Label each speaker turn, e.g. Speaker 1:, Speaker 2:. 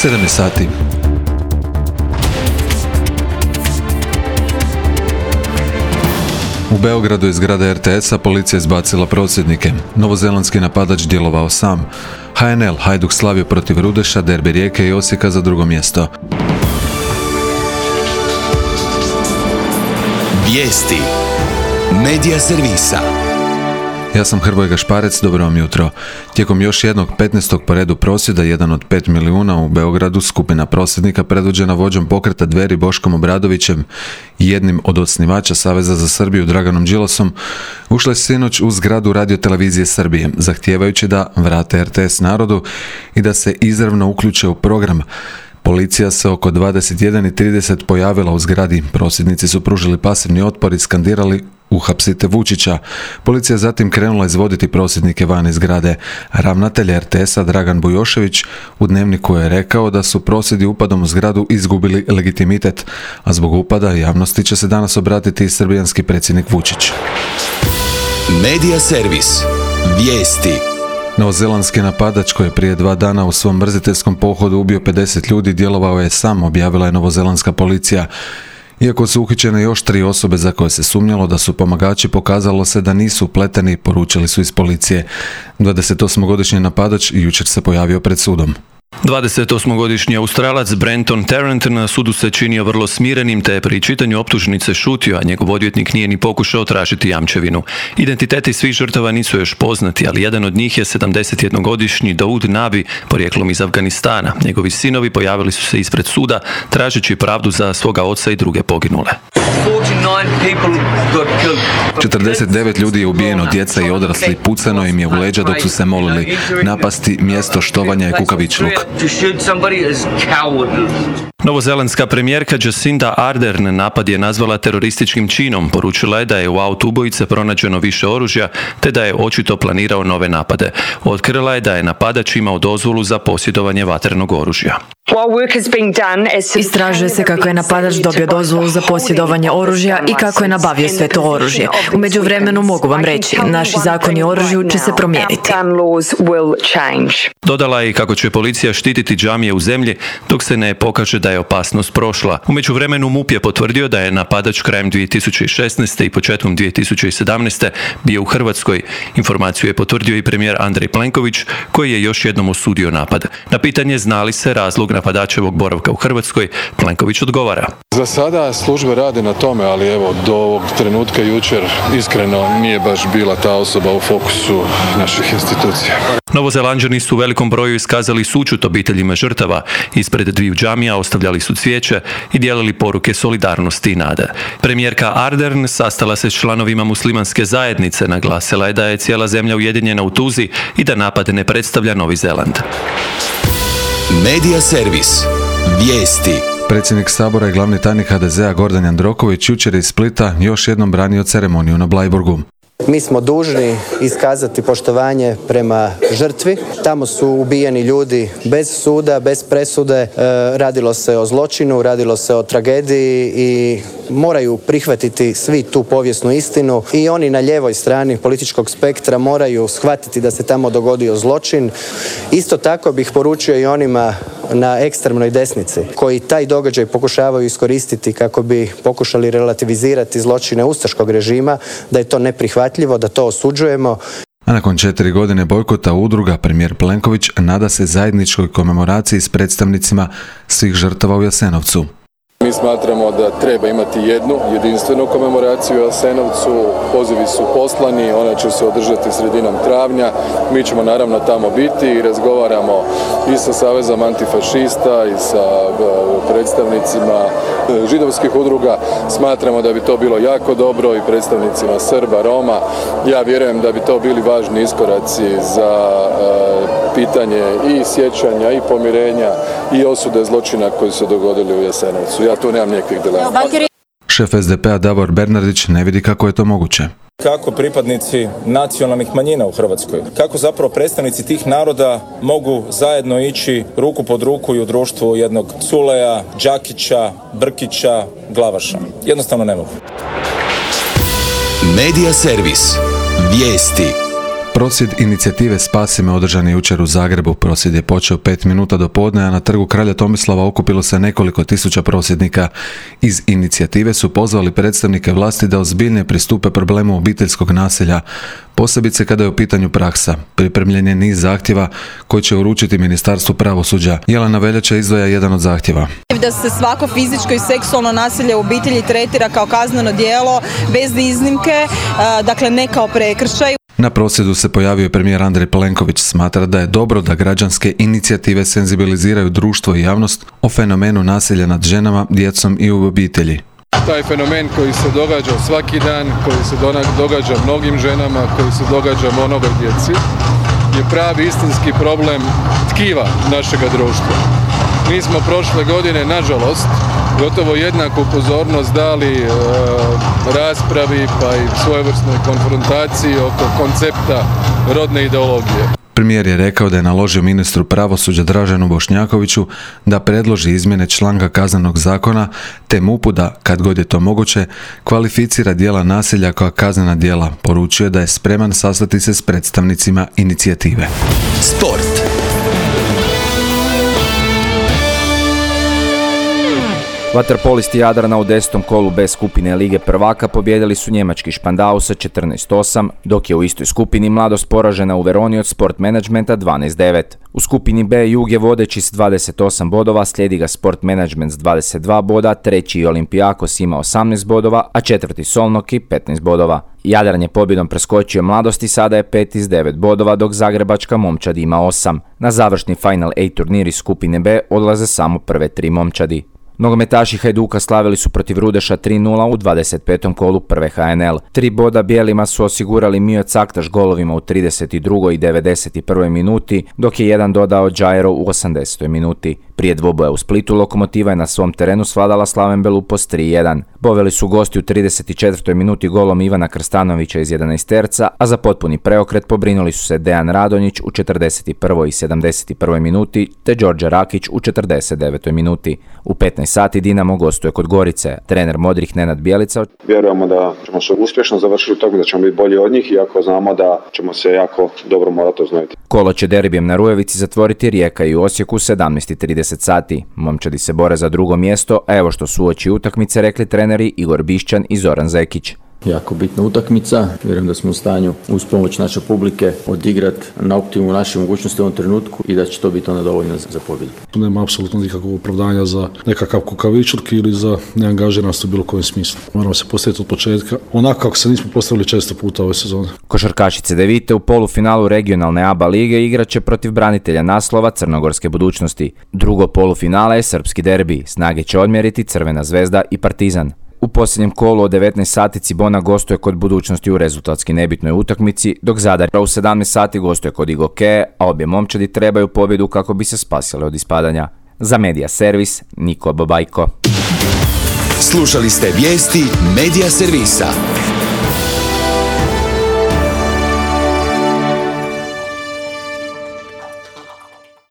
Speaker 1: 7 sati. U Beogradu iz zgrade RTS-a policija izbacila prosvjednike. Novozelandski napadač djelovao sam. HNL Hajduk slavio protiv Rudeša, derbi Rijeke i Osijeka za drugo mjesto.
Speaker 2: Vijesti Medija servisa.
Speaker 1: Ja sam Hrvoje Gašparec, dobro vam jutro. Tijekom još jednog 15. po redu prosvjeda, jedan od 5 milijuna u Beogradu, skupina prosvjednika predvođena vođom pokreta Dveri Boškom Obradovićem i jednim od osnivača Saveza za Srbiju Draganom Đilasom, ušla je sinoć u zgradu Radiotelevizije Srbije, zahtijevajući da vrate RTS narodu i da se izravno uključe u program. Policija se oko 21:30 pojavila u zgradi. Prosvjednici su pružili pasivni otpor i skandirali "Uhapsite Vučića". Policija zatim krenula izvoditi prosvjednike van iz zgrade. Ravnatelj RTS-a Dragan Bujošević u Dnevniku je rekao da su prosvjedi upadom u zgradu izgubili legitimitet, a zbog upada javnosti će se danas obratiti i srbijanski predsjednik Vučić.
Speaker 2: Medija servis. Vijesti.
Speaker 1: Novozelandski napadač koji je prije 2 dana u svom mrziteljskom pohodu ubio 50 ljudi djelovao je sam, objavila je novozelandska policija. Iako su uhićene još 3 osobe za koje se sumnjalo da su pomagači, pokazalo se da nisu upleteni, poručili su iz policije. 28-godišnji napadač jučer se pojavio pred sudom.
Speaker 3: 28-godišnji Australac Brenton Tarrant na sudu se činio vrlo smirenim te je pri čitanju optužnice šutio, a njegov odvjetnik nije ni pokušao tražiti jamčevinu. Identiteti svih žrtava nisu još poznati, ali jedan od njih je 71-godišnji Daud Nabi, porijeklom iz Afganistana. Njegovi sinovi pojavili su se ispred suda tražeći pravdu za svoga oca i druge poginule.
Speaker 1: 49 ljudi je ubijeno, djeca i odrasli, pucano im je u leđa dok su se molili. Napasti mjesto štovanja je kukavičluk.
Speaker 3: Novozelandska premijerka Jacinda Ardern napad je nazvala terorističkim činom. Poručila je da je u autu ubojice pronađeno više oružja, te da je očito planirao nove napade. Otkrila je da je napadač imao dozvolu za posjedovanje vatrenog oružja.
Speaker 4: Istražuje se kako je napadač dobio dozvolu za posjedovanje oružja i kako je nabavio sve to oružje. U međuvremenu mogu vam reći, naši zakoni o oružju će se promijeniti.
Speaker 3: Dodala je i kako će policija štititi džamije u zemlji dok se ne pokaže da je opasnost prošla. U međuvremenu MUP je potvrdio da je napadač krajem 2016. i početkom 2017. bio u Hrvatskoj. Informaciju je potvrdio i premijer Andrej Plenković, koji je još jednom osudio napad. Na pitanje zna li se razlog napadačevog boravka u Hrvatskoj, Plenković odgovara:
Speaker 5: Za sada službe rade na tome, ali evo do ovog trenutka jučer iskreno nije baš bila ta osoba u fokusu naših institucija.
Speaker 3: Novozelanđani su u velikom broju iskazali sućut obiteljima žrtava. Ispred dviju džamija ostavljali su cvijeće i dijelili poruke solidarnosti i nade. Premijerka Ardern sastala se s članovima muslimanske zajednice, naglasila je da je cijela zemlja ujedinjena u tuzi i da napad ne predstavlja Novi Zeland.
Speaker 2: Medija servis. Vijesti.
Speaker 1: Predsjednik Sabora i glavni tajnik HDZ-a Gordan Jandroković jučer iz Splita još jednom branio ceremoniju na Bleiburgu.
Speaker 6: Mi smo dužni iskazati poštovanje prema žrtvi. Tamo su ubijeni ljudi bez suda, bez presude. Radilo se o zločinu, radilo se o tragediji i moraju prihvatiti svi tu povijesnu istinu. I oni na lijevoj strani političkog spektra moraju shvatiti da se tamo dogodio zločin. Isto tako bih poručio i onima na ekstremnoj desnici koji taj događaj pokušavaju iskoristiti kako bi pokušali relativizirati zločine ustaškog režima, da je to neprihvatljivo, da to osuđujemo.
Speaker 1: A nakon 4 godine bojkota udruga, premijer Plenković nada se zajedničkoj komemoraciji s predstavnicima svih žrtava u Jasenovcu.
Speaker 5: Mi smatramo da treba imati jednu jedinstvenu komemoraciju u Jasenovcu. Pozivi su poslani, ona će se održati sredinom travnja. Mi ćemo naravno tamo biti i razgovaramo i sa Savezom antifašista i sa predstavnicima židovskih udruga. Smatramo da bi to bilo jako dobro i predstavnicima Srba, Roma. Ja vjerujem da bi to bili važni iskoraci za pitanje i sjećanja i pomirenja i osude zločina koji su dogodili u Jasenovcu. Ja tu nemam nikakvih dilema.
Speaker 1: Šef SDP-a Davor Bernardić ne vidi kako je to moguće.
Speaker 7: Kako pripadnici nacionalnih manjina u Hrvatskoj, kako zapravo predstavnici tih naroda mogu zajedno ići ruku pod ruku i u društvu jednog Culeja, Đakića, Brkića, Glavaša. Jednostavno ne mogu.
Speaker 2: Medija servis. Vijesti.
Speaker 1: Prosvjed inicijative Spasi me održan je jučer u Zagrebu. Prosvjed je počeo 5 minuta do podne, a na trgu Kralja Tomislava okupilo se nekoliko tisuća prosvjednika. Iz inicijative su pozvali predstavnike vlasti da ozbiljnije pristupe problemu obiteljskog nasilja, posebice kada je u pitanju praksa. Pripremljen je niz zahtjeva koji će uručiti Ministarstvu pravosuđa. Jelena Veljača izdvaja jedan od zahtjeva.
Speaker 8: Da se svako fizičko i seksualno nasilje u obitelji tretira kao kazneno djelo bez iznimke, dakle ne kao prekršaj.
Speaker 1: Na prosvjedu se pojavio premijer Andrej Plenković. Smatra da je dobro da građanske inicijative senzibiliziraju društvo i javnost o fenomenu nasilja nad ženama, djecom i u obitelji.
Speaker 5: Taj fenomen koji se događa svaki dan, koji se događa mnogim ženama, koji se događa mnogoj djeci, je pravi istinski problem tkiva našega društva. Mi smo prošle godine, nažalost, gotovo jednaku pozornost dali raspravi pa i svojevrsnoj konfrontaciji oko koncepta rodne ideologije.
Speaker 1: Premijer je rekao da je naložio ministru pravosuđa Draženu Bošnjakoviću da predloži izmjene članka Kaznenog zakona te MUP-u da, kad god je to moguće, kvalificira djela nasilja kao kaznena djela. Poručio je da je spreman sastati se s predstavnicima inicijative.
Speaker 2: Sport.
Speaker 9: Vaterpolisti Jadrana u 10. kolu B skupine Lige prvaka pobijedili su njemački Špandau sa 14-8, dok je u istoj skupini Mladost poražena u Veroni od Sport Managementa 12-9. U skupini B Jug je vodeći s 28 bodova, slijedi ga Sport Management s 22 boda, treći Olympiakos ima 18 bodova, a četvrti Solnoki 15 bodova. Jadran je pobjedom preskočio Mladost i sada je 5 iz 9 bodova, dok zagrebačka momčadi ima 8. Na završni Final A turnir iz skupine B odlaze samo prve 3 momčadi. Nogometaši Hajduka slavili su protiv Rudeša 3-0 u 25. kolu prve HNL. 3 boda bijelima su osigurali Mio Caktaš golovima u 32. i 91. minuti, dok je jedan dodao Džajero u 80. minuti. Prije dvoboja u Splitu Lokomotiva je na svom terenu svladala Slaven Belupos 3-1. Boveli su gosti u 34. minuti golom Ivana Krstanovića iz 11-terca, a za potpuni preokret pobrinuli su se Dejan Radonjić u 41. i 71. minuti te Đorđe Rakić u 49. minuti. U 15 sati Dinamo gostuje kod Gorice. Trener modrih Nenad Bjelica.
Speaker 10: Vjerujemo da ćemo se uspješno završiti u tome, da ćemo biti bolji od njih, iako znamo da ćemo se jako dobro morati oznojiti.
Speaker 9: Kolo će derbijem na Rujevici zatvoriti Rijeka i Osijek u 17:30 sati. Momčadi se bore za drugo mjesto, a evo što su uoči utakmice rekli treneri Igor Bišćan i Zoran Zekić.
Speaker 11: Jako bitna utakmica, vjerujem da smo u stanju uz pomoć naše publike odigrati na optimumu naše mogućnosti u ovom trenutku i da će to biti onda dovoljno za pobjedu.
Speaker 12: Nema apsolutno nikakvog opravdanja za nekakav kukavičluk ili za neangažiranost u bilo kojem smislu. Moramo se postaviti od početka, onako kako se nismo postavili često puta ove sezone.
Speaker 9: Košarkašice Devite u polufinalu regionalne ABA lige igraće protiv branitelja naslova Crnogorske budućnosti. Drugo polufinale je srpski derbi, snage će odmjeriti Crvena zvezda i Partizan. U posljednjem kolu od 19 sati Cibona gostuje kod Budućnosti u rezultatski nebitnoj utakmici, dok Zadar u 17 sati gostuje kod Igoke, a obje momčadi trebaju pobjedu kako bi se spasile od ispadanja. Za Medija Servis, Niko Babajko.
Speaker 2: Slušali ste vijesti Medija Servisa.